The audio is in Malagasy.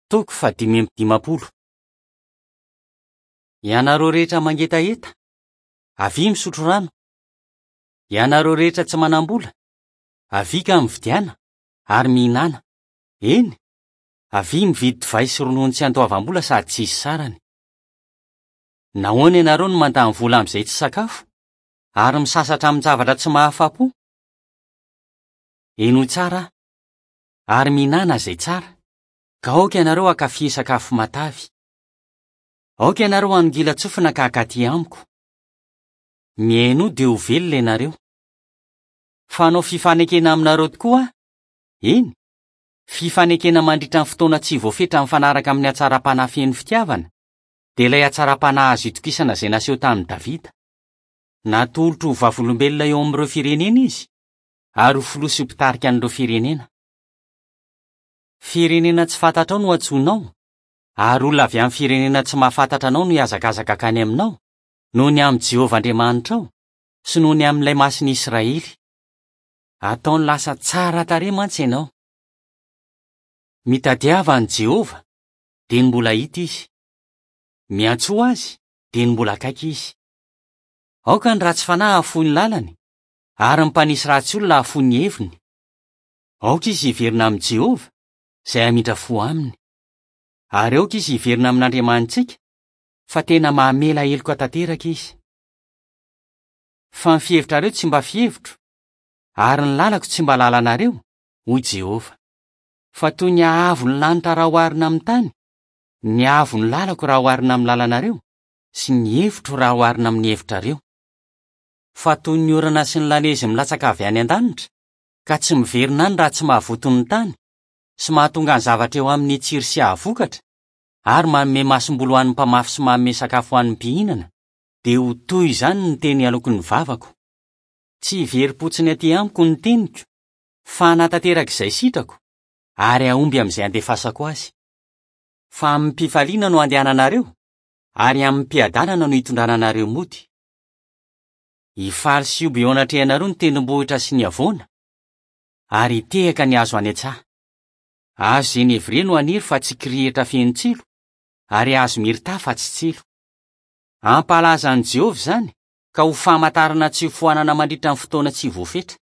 Toko fahadimy amby dimampolo. Ianareo rehetra mangetaheta, avia misotro rano. Ianareo rehetra tsy manam-bola, avia ka mividiana ary mihinàna. Eny, avia mividy divay sy ronono tsy andoavam-bola sady tsy hisy sarany. Nahoana ianareo no mandany vola amin'izay tsy sakafo, ary misasatra amin-javatra tsy mahafa-po? Henoy tsara aho, ary mihinàna izay tsara, ka aoka ianareo hankafy sakafo matavy. Aoka ianareo hanongilan-tsofina ka hankaty amiko. Mihainoa dia ho velona ianareo. Fa hanao fifanekena aminareo tokoa aho, eny, fifanekena mandritra ny fotoana tsy voafetra mifanaraka amin'ny hatsaram-panahy feno fitiavana, dia ilay hatsaram-panahy azo itokisana izay naseho tamin'i Davida. Natolotro ho vavolombelona eo amin'ireo firenena izy, ary ho filoha sy ho mpitarika an'ireo firenena. Firenena tsy fantatrao no antsoinao, ary olona avy amin'ny firenena tsy mahafantatra anao no hihazakazaka hankany aminao, noho ny amin'i Jehovah Andriamanitrao sy noho ny amin'ilay Masin'i Israely. Ataony lasa tsara tarehy mantsy ianao. Mitadiava an'i Jehovah, dia ny mbola hita izy. Miantsoa azy, dia ny mbola akaiky izy. Aoka ny ratsy fanahy hahafoy ny lalany, ary ny mpanisy ratsy olona hahafoy ny heviny. Aoka izy hiverina amin'i Jehovah, izay hamindra fo aminy. Ary aoka izy hiverina amin'Andriamanitsika, fa tena mamela heloka tanteraka izy. Fa ny fihevitrareo tsy mba fihevitro, ary ny lalako tsy mba lalanareo, hoy Jehovah. Fa toy ny haavon'ny lanitra raha oharina amin'ny tany, ny haavon'ny lalako raha oharina amin'ny lalanareo, sy ny hevitro raha oharina amin'ny hevitrareo. Fa toy ny orana sy ny lanezy milatsaka avy any an-danitra, ka tsy miverina any raha tsy mahavoto ny tany, sy mahatonga ny zavatra eo aminy hitsiry sy hahavokatra, ary manome masomboly ho an'ny mpamafy sy manome sakafo ho an'ny mpihinana, dia ho toy izany ny teny aloky ny vavako. Tsy hiverim-potsiny aty amiko ny teniko, fa hanatanteraka izay sitrako, ary hahomby amin'izay andefasako azy. Fa amim-pifaliana no handehananareo, ary amim-piadanana no hitondrana anareo mody. Hifaly sy hihoby eo anatrehanareo ny tendrombohitra sy ny havoana, ary hitehaka ny hazo any an-tsaha. Hazo zenevrie no haniry fa tsy kirihitra feno tsilo, ary hazo mirta fa tsy tsilo. Hampahalaza an'i Jehovah izany, ka ho famantarana tsy hofoanana mandritra ny fotoana tsy voafetra.